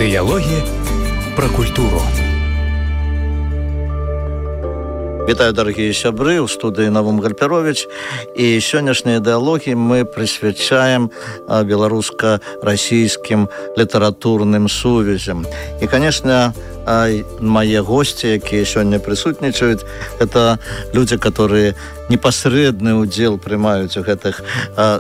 Дыялогі пра культуру. Вітаю, дарагія сябры, у студыі Навум Гальперович. І сённяшнія дыялогі мы прысвячаем беларуска-расійскім літаратурным сувязям. І, конечно, мои гости, якія сёння прысутнічаюць, это люди, которые непасрэдны ўдзел прымаюць у гэтых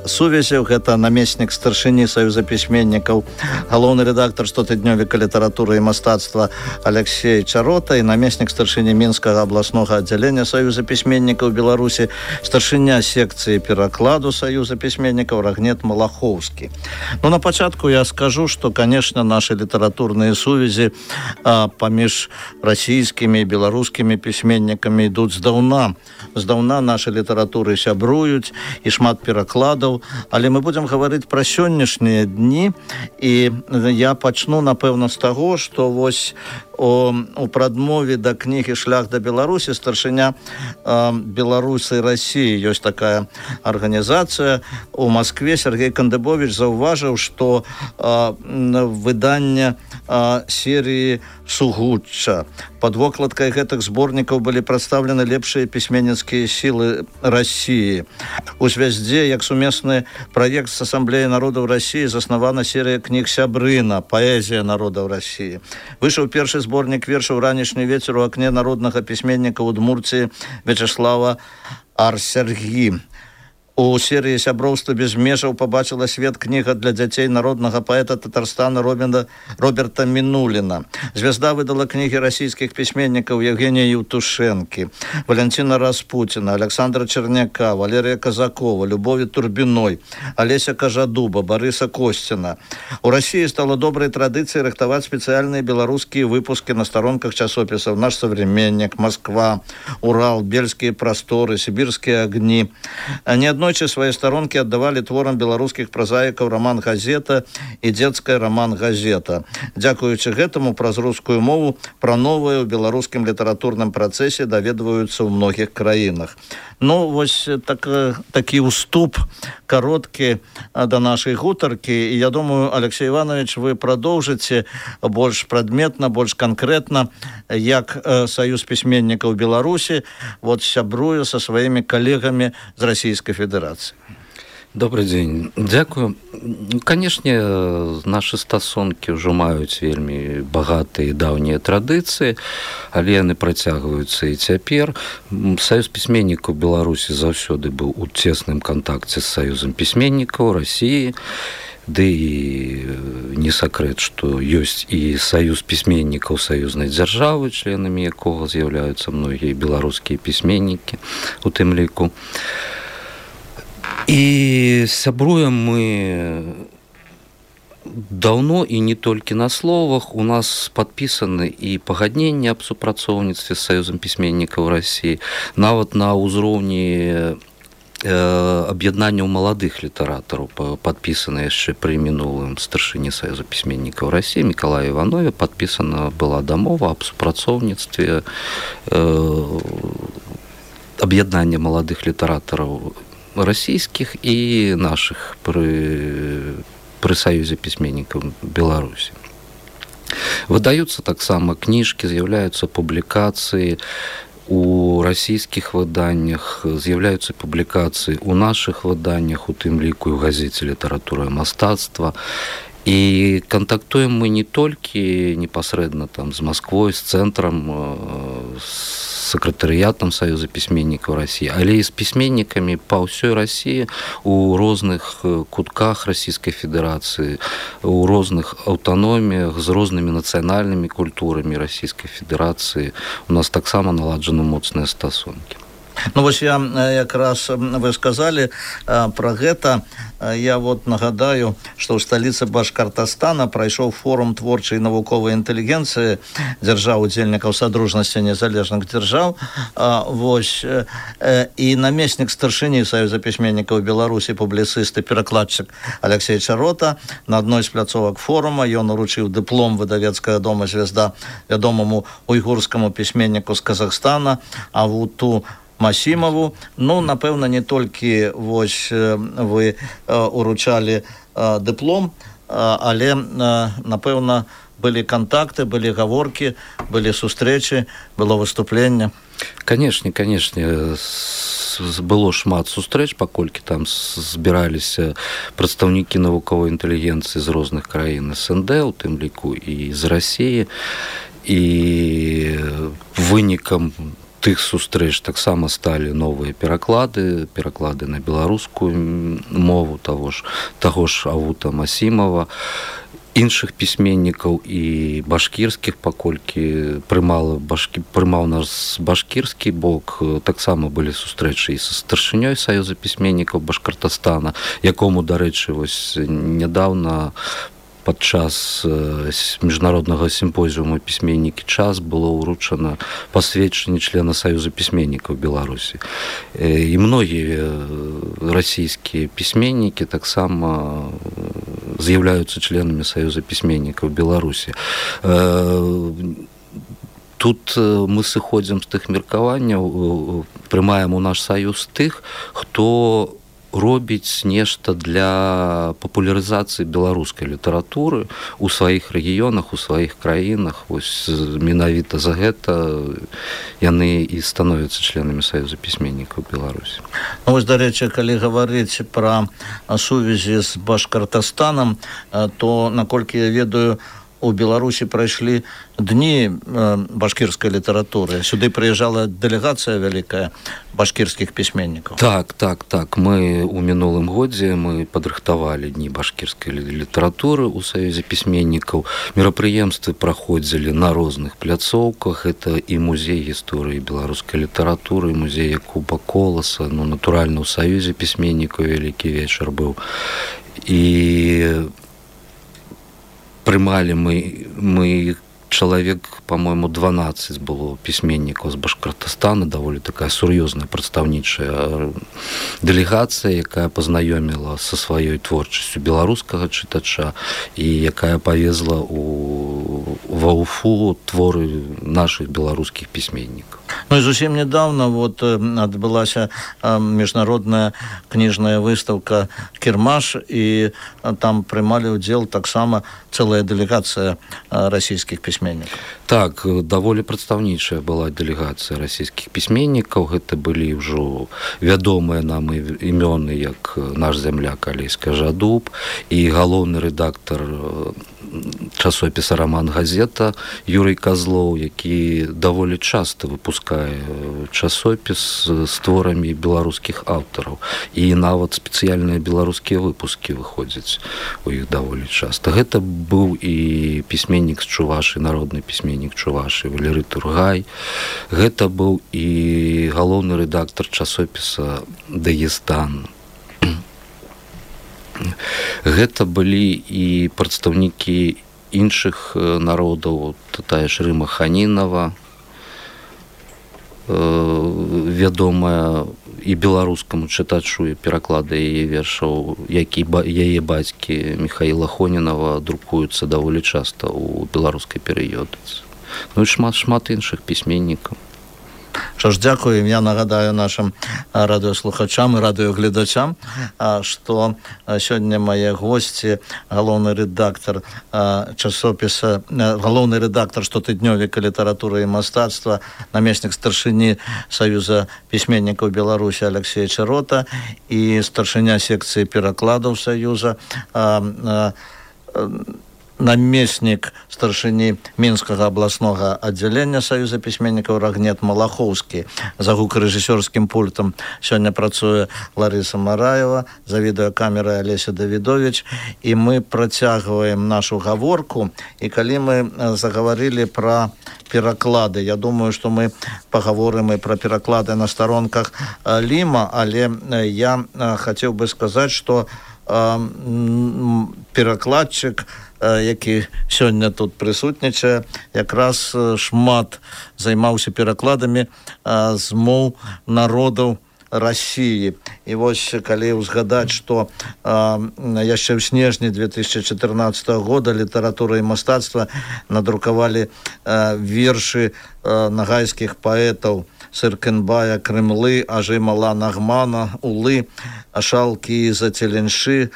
сувязях. Гэта намеснік старшыні Саюза пісьменнікаў, галоўны рэдактар штотыднёвіка літаратуры і мастацтва Алексей Чарота і намеснік старшыні Мінскага абласнога аддзялення Саюза пісьменнікаў Беларусі, старшыня секцыі перакладу Саюза пісьменнікаў Рагнет Малахоўскі. Ну, на пачатку я скажу, што, конечно, наши літаратурныя сувязі паміж расійскімі і беларускімі пісьменнікамі ідуць здаўна. Здаўна нашы літаратуры сябруюць і шмат перакладаў, але мы будзем гаварыць пра сённяшнія дні, і я пачну, напэўна, з таго, што вось у прадмове да кнігі «Шлях да Беларусі» старшыня Беларуси России, ёсць такая арганізацыя у Москве, Сергей Кандыбович заўважыў, што выданне серыі «Сугучча». Под вокладкай гэтых зборнікаў былі прадстаўлены лепшыя пісьменніцкія сілы России. У звязде, як сумесны праект з Асамблеі народаў России, заснавана серыя кніг «Сябрына. Паэзія народаў России». Выйшаў першы зборнік вершаў «Ранішні вецер у акне» народнага пісьменніка Удмурціі Вячеслава Арсергі. У серыі «Сяброўства без межаў» побачила свет кніга для дзяцей народнага паэта Татарстана Роберта Мінуліна. Звезда выдала кнігі расійскіх пісьменнікаў Евгения Евтушенкі, Валентина Распутина, Александра Черняка, Валерия Казакова, Любови Турбиной, Олеся Кажадуба, Бориса Костина. У России стало доброй традицией рыхтовать специальные белорусские выпуски на сторонках часописов «Наш современник», «Москва», «Урал», «Бельские просторы», «Сибирские огни». Неоднойчы свои сторонки отдавали творам беларускіх прозаікаў роман «Газета» и детская роман «Газета». Дзякуючы гэтаму праз рускую мову пра новае ў беларускім літаратурным працэсе даведваюцца ў многіх краінах. Ну, вось такі ўступ кароткі да нашай гутаркі. І я думаю, Алексей Иванович, вы продолжите больш прадметна, больш конкретно, як Союз письменников Беларуси вот сябруе со своими коллегами з Российской Федерации. Добрый день. Дякую. Конечно, наши стасункі ўжо маюць вельмі багатыя і даўнія традыцыі, але яны працягваюцца і цяпер. Саюз пісьменнікаў Беларусі заўсёды быў у цесным кантакце з Саюзам пісьменнікаў России. Ды і не сакрэт, што ёсць і саюз пісьменнікаў саюзнай дзяржавы, членамі якога з'яўляюцца многія беларускія пісьменнікі у тым ліку. І сябруем мы давно і не толькі на словах. У нас падпісаны і пагадненні аб супрацоўніцтве з Саюзам пісьменнікаў России, нават на ўзроўні аб'яднанняў маладых літаратараў, падпісана яшчэ пры мінулым старшыні Саюза пісьменнікаў России Мікалае Іванове, падпісана была дамова аб супрацоўніцтве аб'яднання маладых літаратараў расійскіх і нашых пры Саюзе пісьменнікаў Беларусі. Выдаюцца таксама кніжкі, з'яўляюцца публікацыі у расійскіх выданнях, з'яўляюцца публікацыі у нашых выданнях, у тым ліку і ў газеце «Літаратура і мастацтва». І кантактуем мы не толькі непасрэдна там з Москвой, з цэнтрам, з сакратарыятам Саюза пісьменнікаў России, але і з пісьменнікамі па ўсёй России у розных кутках Российской Федерации, у розных аўтаноміях, з рознымі нацыянальнымі культурамі Российской Федерации. У нас таксама наладжаны моцныя стасункі. Ну, вось я якраз вы сказали про гэта. Я вот нагадаю, что ў сталіцы Башкортостана прайшоў форум творчай і навуковай інтэлігенцыі дзяржаў удзельнікаў Садружнасці незалежных дзяржаў. Вось і намеснік старшыні Саюза пісьменнікаў Беларусі, публіцыст і перакладчык Алексей Чарота на адной з пляцовак форума ён уручыў дыплом выдавецкага дома «Звезда» вядомаму уйгурскаму пісьменніку з Казахстана Авуту Масімову. Ну, напэўна, не толькі вось вы уручалі дыплом, але, напэўна, былі кантакты, былі гаворкі, былі сустрэчы, было выступленне. Канешне, было шмат сустрэч, паколькі там збіраліся прадстаўнікі навуковай інтэлігенцыі з розных краін СНД, у тым ліку і з Расіі, і вынікам тых сустрэч таксама сталі новыя пераклады на беларускую мову таго ж Авута Масімова, іншых пісьменнікаў і башкірскіх, паколькі прымаў нас башкірскі бок, таксама былі сустрэчы і са старшынёй Саюза пісьменнікаў Башкортостана, якому, дарэчы, вось нядаўна падчас міжнароднага сімпозіуму пісьменнікі час было ўручана пасведчанне члена Саюза пісьменнікаў Беларусі. І многія расійскія пісьменнікі таксама з'яўляюцца членамі Саюза пісьменнікаў Беларусі. Тут мы сыходзім з тых меркаванняў, прымаем у наш саюз тых, хто робіць нешта для папулярызацыі беларускай літаратуры ў сваіх рэгіёнах, у сваіх краінах. Вось менавіта за гэта яны і становяцца членамі Саюза пісьменнікаў Беларусі. Вось, дарэчы, калі гаварыць пра сувязі з Башкортастанам, то, наколькі я ведаю, у Беларусі прайшлі дні башкірскай літаратуры. Сюды прыязджала дэлегацыя вялікая башкірскіх пісьменнікаў. Так. Мы ў мінулым годзе мы падрыхтавалі дні башкірскай літаратуры ў Саюзе пісьменнікаў. Мерапрыемствы праходзілі на розных пляцоўках. Это і музей гісторыі беларускай літаратуры, і музей Якуба Коласа, натуральна, ў Саюзе пісьменнікаў вялікі вечар быў. І прымалі мы чалавек, по-моему, 12 было пісьменнікаў з Башкортостана, даволі такая сур'ёзная прадстаўнічая дэлегацыя, якая пазнаёміла са сваёй творчасцю беларускага чытача і якая павезла ва Уфу творы нашых беларускіх пісьменнікаў. Ну і зусім нядаўна адбылася міжнародная кніжная выстаўка «Кірмаш», і там прымалі ўдзел таксама цэлая дэлегацыя расійскіх пісьменнікаў. Так, даволі прадстаўнічая была дэлегацыя расійскіх пісьменнікаў. Гэта былі ўжо вядомыя нам імёны, як наш зямляк Алесь Кажадуб і галоўны рэдактар часопіса «Раман-газета» Юрый Козлоў, які даволі часта выпускае часопіс з творамі беларускіх аўтараў. І нават спецыяльныя беларускія выпускі выходзяць у іх даволі часта. Гэта быў і пісьменнік з Чувашы, народны пісьменнік Чувашы Валерый Тургай. Гэта быў і галоўны рэдактар часопіса «Дагестан». Гэта былі і прадстаўнікі іншых народаў, тая ж Рыма Ханінава, вядомая і беларускаму чытачу, і пераклады яе вершаў, як і яе бацькі Міхаіла Хонінава друкуюцца даволі часта ў беларускай перыёдыцы. Ну і шмат іншых пісьменнікаў. Що ж, дякую. Я нагадаю нашим радыёслухачам і радыёгледачам, што сёння мае госці галоўны рэдактар часопіса, галоўны рэдактар штотыднёвіка літаратуры і мастацтва, намеснік старшыні Саюза пісьменнікаў Беларусі Алексей Чарота і старшыня секцыі перакладаў Саюза, намеснік старшыні Мінскага абласнога аддзялення Саюза пісьменнікаў Рагнет Малахоўскі. За гукарэжысёрскім пультам сёння працуе Ларыса Мараева, за відэакамерай Алеся Давідовіч, і мы працягваем нашу гаворку. І калі мы загаварылі пра пераклады, я думаю, што мы пагаворым і пра пераклады на старонках Ліма, але я хацеў бы сказаць, што перакладчык, які сёння тут прысутнічае, якраз шмат займаўся перакладамі з моў народаў России. І вось калі ўзгадаць, што яшчэ ў снежні 2014 года літаратура і мастацтва надрукавалі вершы нагайскіх паэтаў Сыркенбая, Крымлы, Ажымала Нагмана, Улы, Ашалкі, Зателенши,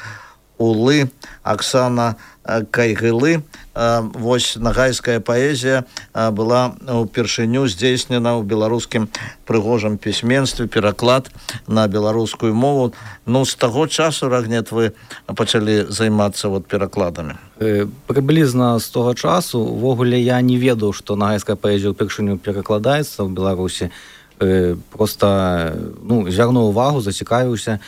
Улы, Оксана Кайгылы. Вось нагайская паэзія была упершыню здзейснена ў беларускім прыгожым пісьменстве, пераклад на беларускую мову. Ну, з таго часу, Рагнет, вы пачалі займацца перакладамі? Прыблізна з того часу. Увогуле я не ведаў, што нагайская паэзія ўпершыню перакладаецца ў Беларусі. Просто звярнуў увагу, зацікавіўся.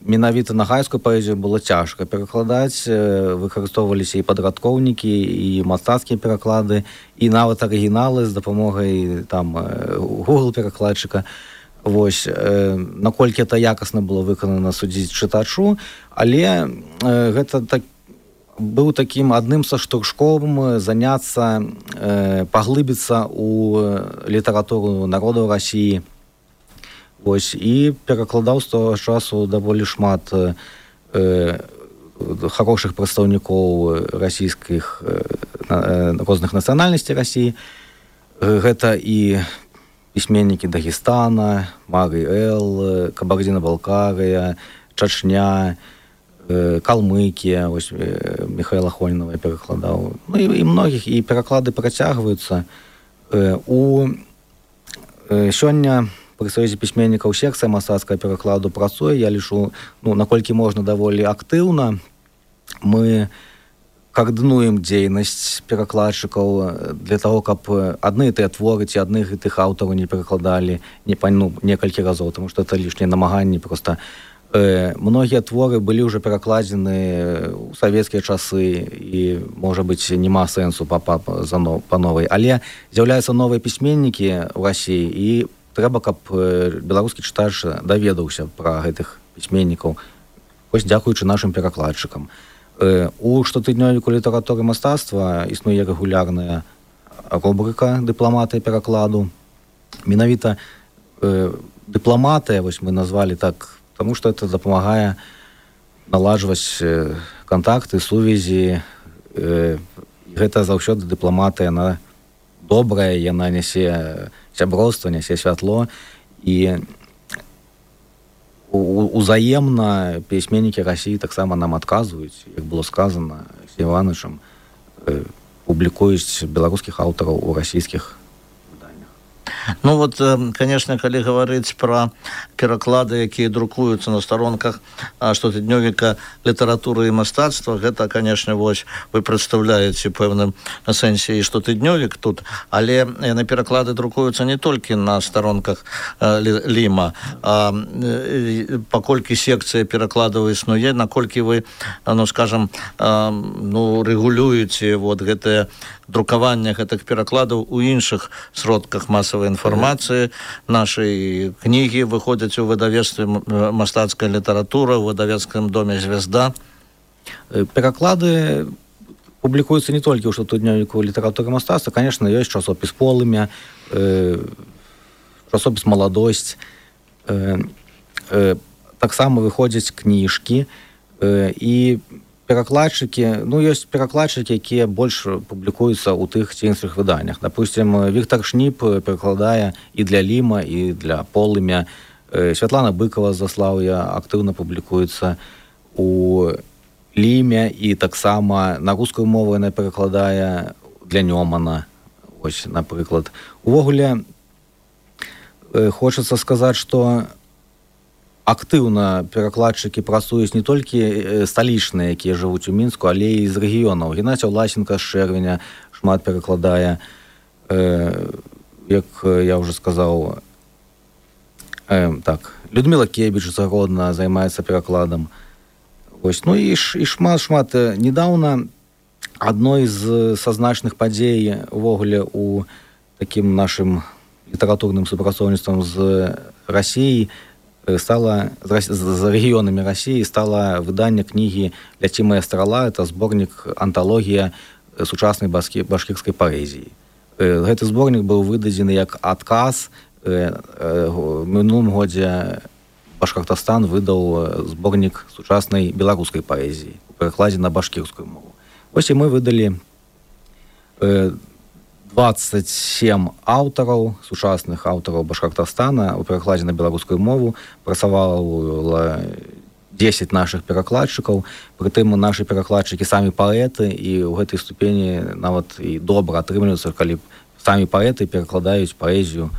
Менавіта нагайскую паэзію было цяжка перакладаць, выкарыстоўваліся і падрадкоўнікі, і мастацкія пераклады, і нават арыгіналы з дапамогай Google перакладчыка. Вось, наколькі это якасна было выканана, судзіць чытачу, але гэта быў такім адным са штуршком заняцца, паглыбіцца ў літаратуру народаў Расіі. Вось, і перакладаў з того часу даволі шмат хорошых прадстаўнікоў расійскіх розных нацыянальнасцей Расіі. Гэта і пісьменнікі Дагестана, Марый Эл, Кабардино-Балкария, Чачня, Калмыкія, ось Михайла Хонінова я перакладаў. Ну і многіх, і пераклады працягваюцца. Сёння пры Саюзе пісьменнікаў секцыя мастацкага перакладу працуе, я лічу, наколькі можна, даволі актыўна. Мы каардынуем дзейнасць перакладчыкаў для таго, каб адны і тыя творы ці адных і тых аўтараў не перакладалі некалькі разоў, таму што это лішнія намаганні проста. Многія творы былі ўжо перакладзены ў савецкія часы і, можа быць, няма сэнсу па новай. Але з'яўляюцца новыя пісьменнікі ў Расіі, і трэба, каб беларускі чытач даведаўся пра гэтых пісьменнікаў, вось дзякуючы нашым перакладчыкам. У штотыднёвіку літаратуры і мастацтва існуе рэгулярная рубрыка «Дыпламатыя перакладу». Менавіта дыпламатыя, вось мы назвалі так, потому что это дапамагае наладжваць контакты, сувязі. Гэта заўсёды дыпламатыя, яна добрая, яна нясе сяброўства, нясе святло, і узаемна пісьменнікі Расіі таксама нам адказваюць, як было сказана Алексеем Івановичам, публікуюць беларускіх аўтараў у расійскіх. Ну вот, конечно, калі гаварыць пра пераклады, якія друкуюцца на старонках штотыднёвіка літаратуры і мастацтва, гэта, конечно, вось вы прадстаўляеце пэўным сэнсе і штотыднёвік тут, але яны пераклады друкуюцца не толькі на старонках Ліма, а паколькі секцыя перакладаў існуе, наколькі вы, скажам, рэгулюеце гэтае друкаванне гэтых перакладаў у іншых сродках масавай інфармацыі. Нашы кнігі выходзяць у выдавецтве «Мастацкая літаратура», у выдавецкім доме «Звезда». Пераклады публікуюцца не толькі ў штотыднёвіку літаратуры і мастацтва. Конечно, ёсць часопіс «Полымя», часопіс «Маладосць». Таксама выходзяць кніжкі, і перакладчыкі, ёсць перакладчыкі, якія больш публікуюцца ў тых ці іншых выданнях. Допустим, Віктор Шніп перакладае і для Ліма, і для Полымя. Святлана Быкова з Заслаўя актыўна публікуецца у Ліме, і таксама на рускую мову яна перакладае для Нёмана. Ось, напрыклад. Увогуле, хочацца сказаць, што актыўна перакладчыкі працуюць не толькі сталічныя, якія жывуць у Мінску, але і з рэгіёнаў. Геннадзій Власенко з Чэрвеня шмат перакладае, як я ўжо сказаў. Людмила Кебіч загодна займаецца перакладам. Ось, і шмат. Недаўна адной з значных падзей увогуле у такім нашым літаратурным супрацоўніцтвам з Расіяй стала, з рэгіёнамі Расіі, стала выданне кнігі «Ляці моя страла». Это зборнік анталогія сучаснай башкірскай паэзіі. Гэты зборнік быў выдадзены як адказ. В мінулым годзе Башкортостан выдаў зборнік сучаснай беларускай паэзіі у перакладзе на башкірскую мову. Вось і мы выдалі 27 аўтараў, сучасных аўтараў Башкортостана у перакладзе на беларускую мову. Працавала 10 наших перакладчыкаў, прытым нашы перакладчыкі самі паэты, і ў гэтай ступені нават і добра атрымліваюцца, калі самі паэты перакладаюць паэзію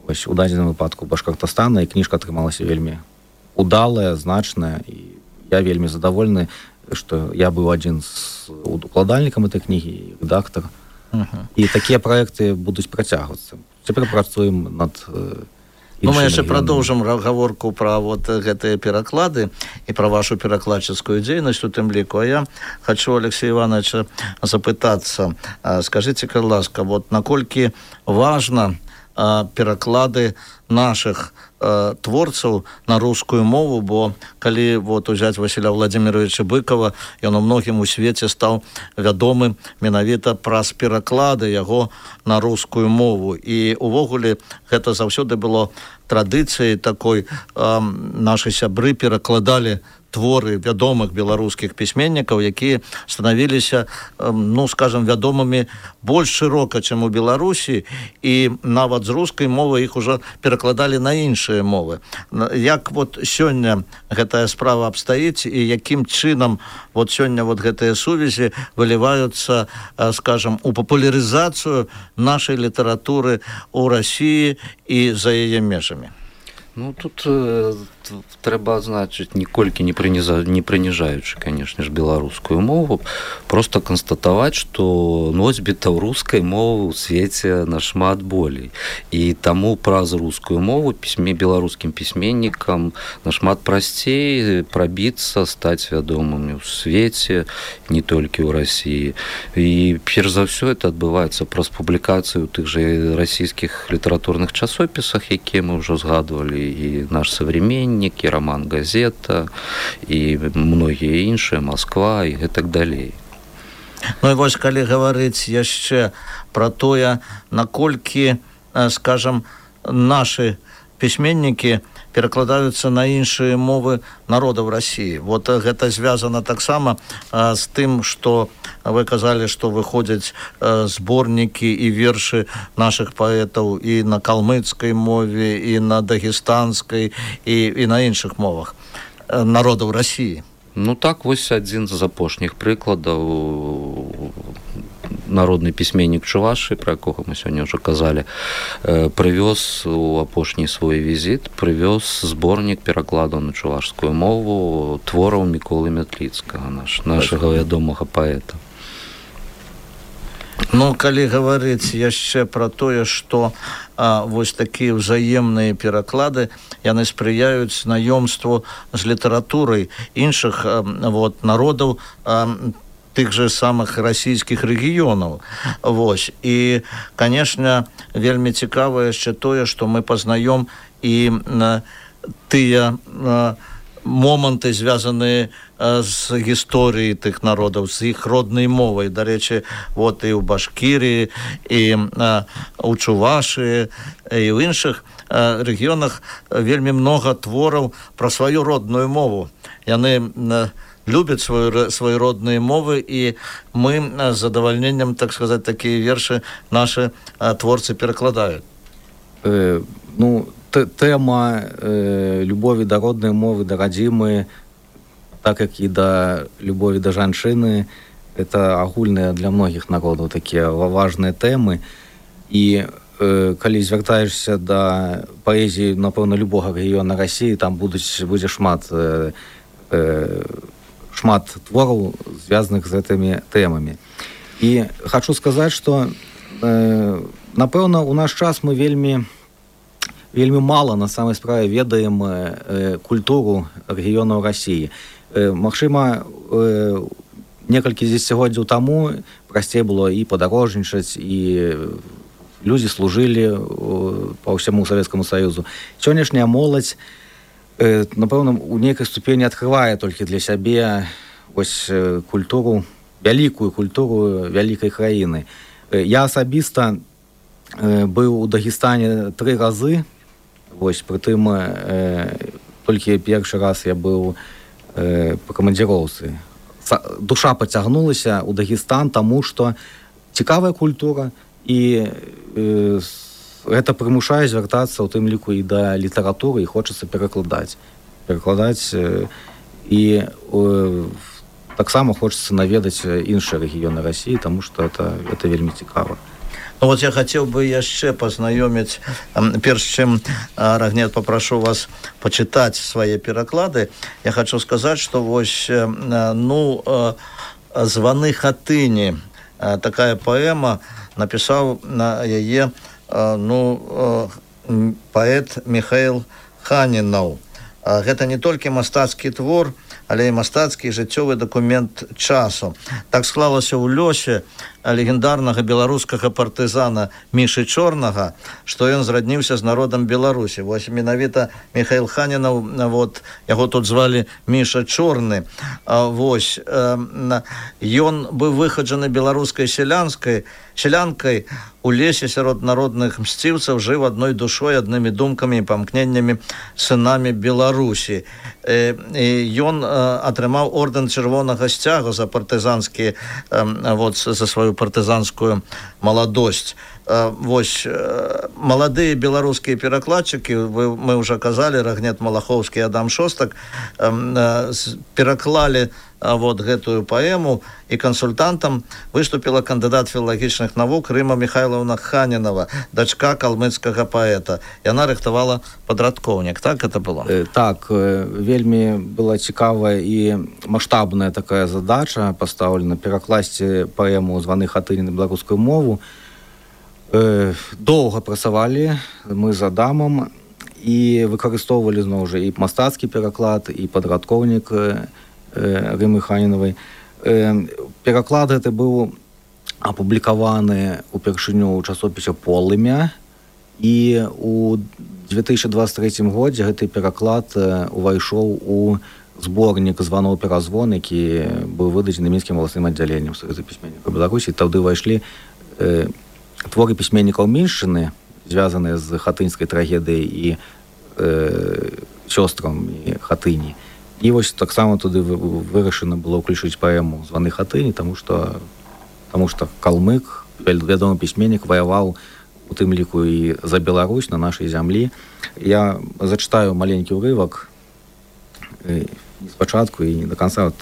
вось у дадзеным выпадку Башкортостана, і кніжка атрымалася вельмі удалая, значная, і я вельмі задавольны, што я быў адзін з укладальнікам этой кнігі і рэдактар. І такія праекты будуць працягвацца. Цяпер працуем над мы яшчэ прадоўжым гаворку пра вот гэтыя пераклады і пра вашу перакладчыцкую дзейнасць у тым ліку. А я хачу Алексея Ивановича запытацца, скажыце, калі ласка, вот наколькі важна пераклады наших творцаў на рускую мову, бо калі вот узяць Васіля Владимировича Быкова, ён у многім у свеце стаў вядомы менавіта праз пераклады яго на рускую мову. І увогуле гэта заўсёды было традыцыяй такой. Нашы сябры перакладалі творы вядомых беларускіх пісьменнікаў, якія станавіліся, ну, скажем, вядомымі больш шырока, чым у Беларусі, і нават з рускай мовы іх ужо перакладалі на іншыя мовы. Як вот сёння гэтая справа абстаіць, і якім чынам вот сёння вот гэтыя сувязі выліваюцца, скажем, у папулярызацыю нашай літаратуры ў Расіі і за яе межамі? Ну, тут трэба адзначыць, ніколькі не прыніжаючы, конечно ж, беларускую мову, просто канстатаваць, што носьбітаў рускай мовы ў свеце нашмат болей. І таму праз рускую мову беларускім пісьменнікам нашмат прасцей прабіцца, стаць вядомымі ў свеце, не толькі ў Расіі. І перш за ўсё это адбываецца праз публікацыю ў тых жа расійскіх літаратурных часопісах, якія мы ўжо згадвалі, і наш современник, і роман «Газета», і многія іншыя, Москва, і гэтак далей. Ну і вось, калі гаварыць яшчэ пра тое, наколькі, скажем, нашы пісьменнікі перакладаюцца на іншыя мовы народаў Расіі. Вот гэта звязана таксама з тым, што вы казалі, што выходзяць зборнікі і вершы нашых паэтаў і на калмыцкай мове, і на дагестанскай, і на іншых мовах народаў Расіі. Ну так, вось адзін з апошніх прыкладаў. Народны пісьменнік Чувашы, пра якога мы сёння ўжо казалі, прывёз у апошні свой візіт, прывёз зборнік перакладаў на чувашскую мову твораў Міколы Мятліцкага, нашага вядомага паэта. Ну, калі гаварыць яшчэ пра тое, што вось такія ўзаемныя пераклады, яны спрыяюць знаёмству з літаратурай іншых вот народаў, тых же самых расійскіх рэгіёнаў. Вось. І, конечно, вельмі цікава яшчэ тое, што мы пазнаём і тыя моманты, звязаныя з гісторыяй тых народаў, з іх роднай мовай. Дарэчы, вот і ў Башкірыі, і ў Чувашы, і ў іншых рэгіёнах вельмі многа твораў пра сваю родную мову. Яны любят свои родные мовы, и мы с задовольнением, так сказать, такие верши наши творцы перекладают. Ну, тема любові да роднай мовы, да радзімы, так як і да любові да жанчыны, это агульныя для многіх народаў такія важныя тэмы. І калі звяртаешся да паэзіі, напэўна, любога рэгіёна Расіі, там будзе шмат твораў, звязаных з гэтымі тэмамі. І хачу сказаць, што, напэўна, у наш час мы вельмі мала на самай справе ведаем культуру рэгіёнаў Расіі. Магчыма, некалькі дзесяцігоддзяў таму прасцей было і падарожнічаць, і людзі служылі па ўсяму Савецкаму Саюзу. Сённяшняя моладзь, напэўна, у нейкай ступені адкрывае толькі для сябе вось культуру, вялікую культуру вялікай краіны. Я асабіста быў у Дагестане 3 разы, вось, прытым толькі першы раз я быў па камандзіроўцы. Душа пацягнулася ў Дагестан, таму што цікавая культура, і гэта прымушае звяртацца ў тым ліку і да літаратуры, і хочацца перакладаць і таксама хочацца наведаць іншыя рэгіёны Расіі, таму што это вельмі цікава. Ну, вот я хотел бы яшчэ пазнаёміць, перш чым Рагнет попрошу вас почитать свои пераклады, я хочу сказать, что вось «Званы хатыні», такая поэма, написал на яе паэт Михаил Ханінаў. Гэта не толькі мастацкі твор, але і мастацкі жыццёвы дакумент часу. Так склалася ў лёсе легендарнага беларускага партызана Мішы Чорнага, што ён зрадніўся з народам Беларусі. Вось менавіта Михаил Ханінаў, вот, яго тут звалі Міша Чорны. Вось, ён быў выхаджаны беларускай селянкай у лесе сярод народных мсціўцаў, жыў адной душой, аднымі думкамі і памкненнямі сынамі Беларусі. Ён атрымаў ордэн чырвонага сцягу за партызанскі, за сваю партызанскую маладосць. Вось, маладыя беларускія перакладчыкі, мы ўжо казалі, Рагнет Малахоўскі і Адам Шостак, пераклалі вот гэтую паэму, і кансультантам выступіла кандыдат філалагічных навук Рыма Михайловна Ханінава, дачка калмыцкага паэта. Яна рыхтавала падрадкоўнік. Так это было? Так, вельмі была цікавая і маштабная такая задача пастаўлена перакласці паэму «Званы хатыні» на беларускую мову. Доўга працавалі мы з Адамам і выкарыстоўвалі зноў жа і мастацкі пераклад, і падрадкоўнік Рымы Ханінавай. Пераклад гэты быў апублікаваны упершыню ў часопісе «Полымя», і у 2023 годзе гэты пераклад увайшоў у зборнік «Званоў перазвон», які быў выдадзены мінскім абласным аддзяленнем Саюза пісьменнікаў Беларусі. Тады ўвайшлі творы пісьменнікаў міншчыны, звязаныя з хатынскай трагедыяй і сёстрам і хатыні. І вось таксама туды вырашана было ўключыць паэму «Званы хатыні», таму што калмык, вядомы пісьменнік, ваяваў у тым ліку і за Беларусь на нашай зямлі. Я зачытаю маленькі ўрывак, не спачатку і не до канца.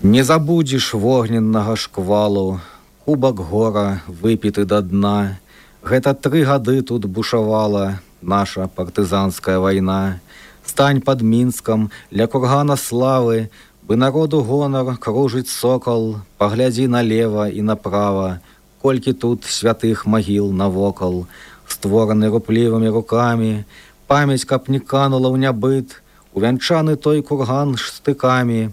«Не забудзеш вогненнага шквалу, кубак гора выпіты да дна. Гэта 3 гады тут бушавала наша партызанская вайна. Стань пад Мінскам ля кургана славы, бы народу гонар кружыць сокол. Паглядзі налева і направа, колькі тут святых магіл навокал, створаны руплівымі рукамі. Памяць, каб не канула ў нябыт, увянчаны той курган штыкамі.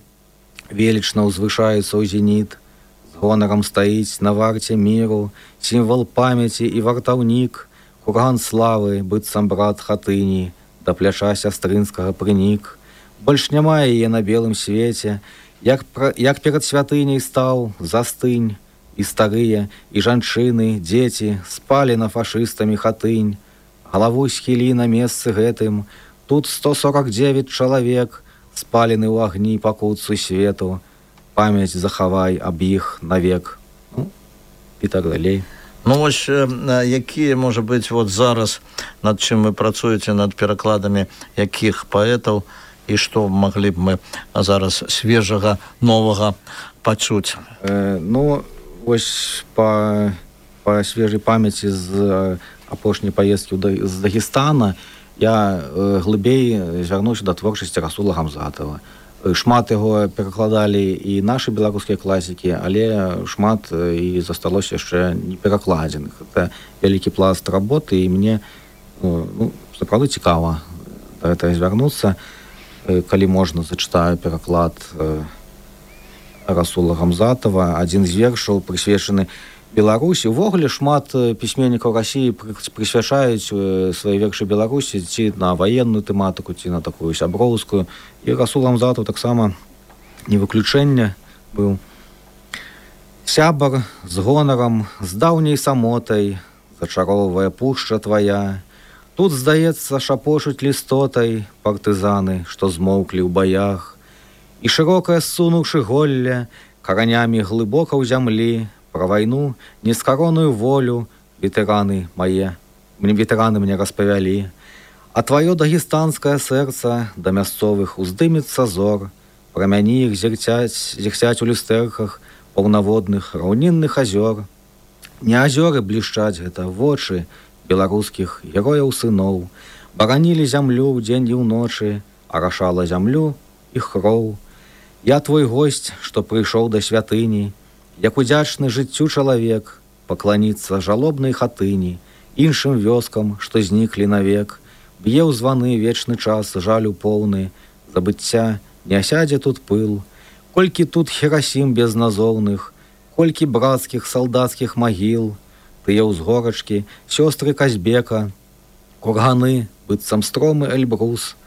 Велічна ўзвышаецца ў зеніт, з гонарам стаіць на варце міру, сімвал памяці і вартаўнік, курган славы, быццам брат хатыні, да пляча сястрынскага прынік. Больш няма яе на белым свеце, як перад святыняй стаў, застынь, і старыя, і жанчыны, дзеці спалі на фашыстамі хатынь. Галаву схілі на месцы гэтым, тут 149 чалавек, спалены ў агні пакутцу свету. Памяць захавай аб іх навек». І так далей. Ну, вось, якія, можа быць, вот зараз, над чым вы працуеце, над перакладамі якіх паэтаў, і што маглі б мы зараз свежага, новага пачуць? Вось па свежай памяці з апошняй паездкі з Дагестана я глыбей звярнуўся да творчасці Расула Гамзатова. Шмат яго перакладалі і нашы беларускія класікі, але шмат і засталося яшчэ не перакладзеных. Это вялікі пласт работы, і мне сапраўды цікава да гэтага звярнуцца. Калі можна, зачытаю пераклад Расула Гамзатова, адзін з вершаў, прысвечаны Беларусі. Увогуле шмат пісьменнікаў Расіі прысвячаюць свае вершы Беларусі ці на ваенную тэматыку, ці на такую сяброўскую. І Расул Гамзатаў таксама не выключэнне быў. «Сябар з гонарам, з даўняй самотай, зачароўвае пушча твая. Тут, здаецца, шапочуць лістотай партызаны, што змоўклі ў баях. І шырокае ссунуўшы голле, каранямі глыбока ў зямлі, пра вайну, нескароную волю ветэраны мне распавялі. А твоё дагестанскае сэрца да мясцовых уздымецца зор, прамяні іх зірцяць у люстэрках паўнаводных раўнінных азёр. Не азёры блішчаць гэта вочы беларускіх герояў сыноў, баранілі зямлю ў дзень і ўночы, арашала зямлю іх кроў. Я твой госць, што прыйшоў да святыні, як удзячны жыццю чалавек, пакланіцца жалобнай хатыні, іншым вёскам, што зніклі навек. Б'е ў званы вечны час, жалю поўны, забыцця не асядзе тут пыл. Колькі тут херасім безназоўных, колькі брацкіх салдацкіх магіл, тыя ўзгорачкі, сёстры Казбека, курганы, быццам стромы Эльбрус,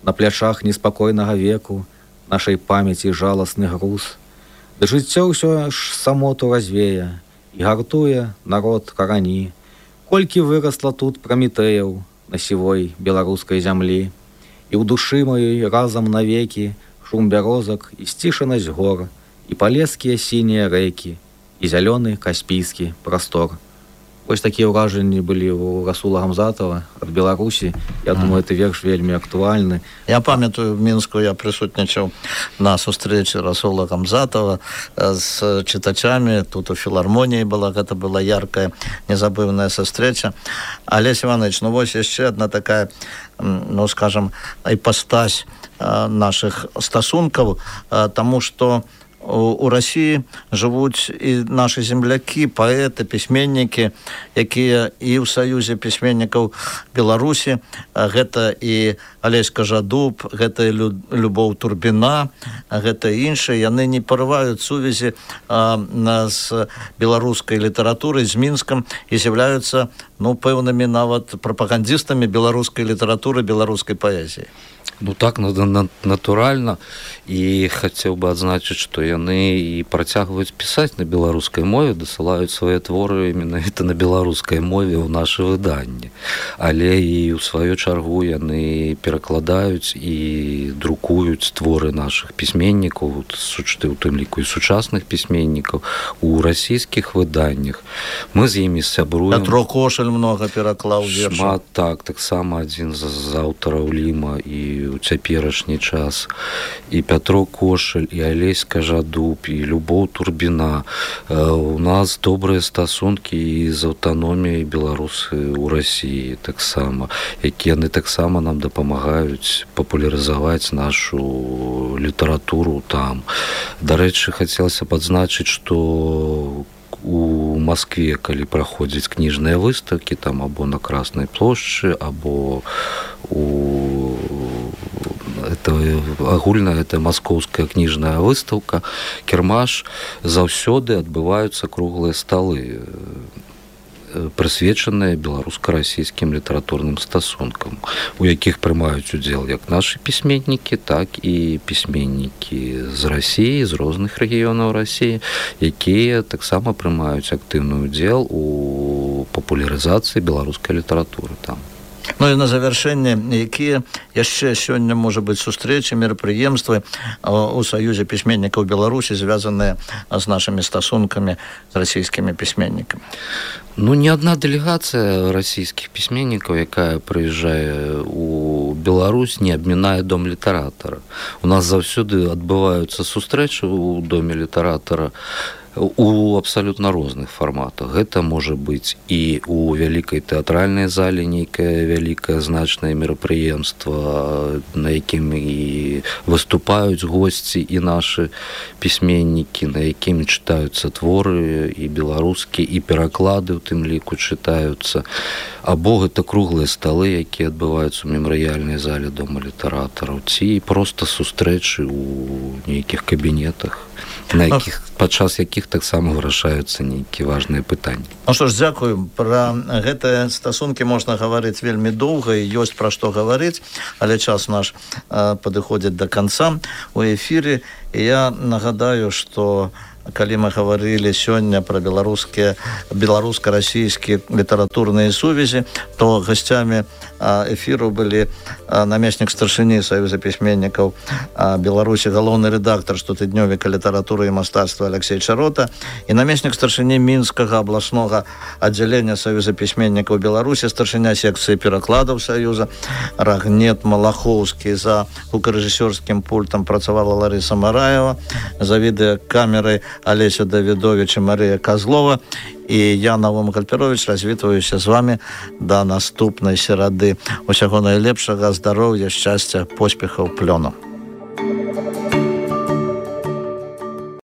на плячах неспакойнага веку, нашай памяці жаласны груз. Ды жыццё ўсё ж самоту развее і гартуе народ карані. Колькі вырасла тут Прамітэяў на сівой беларускай зямлі, і ў душы маёй разам навекі шум бярозак і сцішанасць гор, і палескія сінія рэкі, і зялёны каспійскі прастор. Вось такія ўражанні былі у Расула Гамзатова ад Беларусі. Я думаю, гэты верш вельмі актуальны. Я памятаю, в Мінску я прысутнічаў на сустрэчы Расула Гамзатова з чытачамі. Тут у філармоніі была, гэта была яркая, незабыўная сустрэча. Алесь Іванович, ну вось яшчэ одна такая, ну скажем, іпастась наших стасункаў, таму што у России жывуць і нашы землякі, паэты, пісьменнікі, якія і ў Саюзе пісьменнікаў Беларусі. Гэта і Алесь Кажадуб, гэта і Любоў Турбіна, гэта іншыя. Яны не парываюць сувязі з беларускай літаратурай, з Мінскам, і з'яўляюцца, ну, пэўнымі нават прапагандістамі беларускай літаратуры, беларускай паэзіі. Ну так, натуральна. І хацеў бы адзначыць, што яны і працягваюць пісаць на беларускай мове, дасылаюць свае творы менавіта на беларускай мове ў нашы выданні. Але і ў сваю чаргу яны перакладаюць і друкуюць творы нашых пісьменнікаў, у тым ліку і сучасных пісьменнікаў, у расійскіх выданнях. Мы з імі сябруем. Пятро Кошель многа пераклаў вершаў. Шмат, так, таксама адзін з аўтараў Ліма і у цяперашні час. І Пятро Кошель, і Алесь Кажадуб, і Любоў Турбіна. У нас добрыя стасункі і з аўтаноміяй беларусы ў Расіі таксама, якія яны таксама нам дапамагаюць папулярызаваць нашу літаратуру там. Дарэчы, хацелася б адзначыць, што у Москве, калі праходзяць кніжныя выставкі, там або на Краснай плошчы, або агульная это маскоўская кніжная выстаўка, кірмаш, заўсёды адбываюцца круглыя сталы, прысвечаныя беларуска-расійскім літаратурным стасункам, у якіх прымаюць удзел як нашы пісьменнікі, так і пісьменнікі з Расіі, з розных рэгіёнаў Расіі, якія таксама прымаюць актыўны удзел у папулярызацыі беларускай літаратуры там. Ну і на завяршэнне, якія яшчэ сёння, можа быць, сустрэчы, мерапрыемствы у Саюзе пісьменнікаў Беларусі, звязаныя з нашымі стасункамі з расійскімі пісьменнікамі? Ну, не адна дэлегацыя расійскіх пісьменнікаў, якая прыязджае у Беларусь, не абмінае дом літаратара. У нас заўсёды адбываюцца сустрэчы ў доме літаратара у абсалютна розных фарматах. Гэта можа быць і у вялікай тэатральнай зале нейкае вялікае значнае мерапрыемства, на якім і выступаюць госці і нашы пісьменнікі, на якім чытаюцца творы і беларускія, і пераклады ў тым ліку чытаюцца. Або гэта круглыя сталы, якія адбываюцца ў мемарыяльнай зале дома літаратараў, ці проста сустрэчы ў нейкіх кабінетах, падчас якіх таксама вырашаюцца нейкія важныя пытанні. Ну што ж, дзякую. Пра гэтыя стасункі можна гаварыць вельмі доўга, і ёсць пра што гаварыць, але час наш падыходзіць да канца у эфіры. І я нагадаю, што калі мы гаварылі сёння пра беларуска-расійскія літаратурныя сувязі, то гасцямі эфіру былі намеснік старшыні Саюза пісьменнікаў Беларусі, галоўны рэдактар штотыднёвіка літаратуры і мастацтва Алексей Чарота і намеснік старшыні Мінскага абласнога аддзялення Саюза пісьменнікаў Беларусі, старшыня секцыі перакладаў Саюза Рагнет Малахоўскі. За гукарэжысёрскім пультам працавала Ларыса Мараева, за відэакамерай Алеся Давідович і Марыя Казлова. І я, Навум Гальперович, развітваюся з вами да наступнай серады. Усяго найлепшага, здароўя, шчасця, поспехаў, плёну.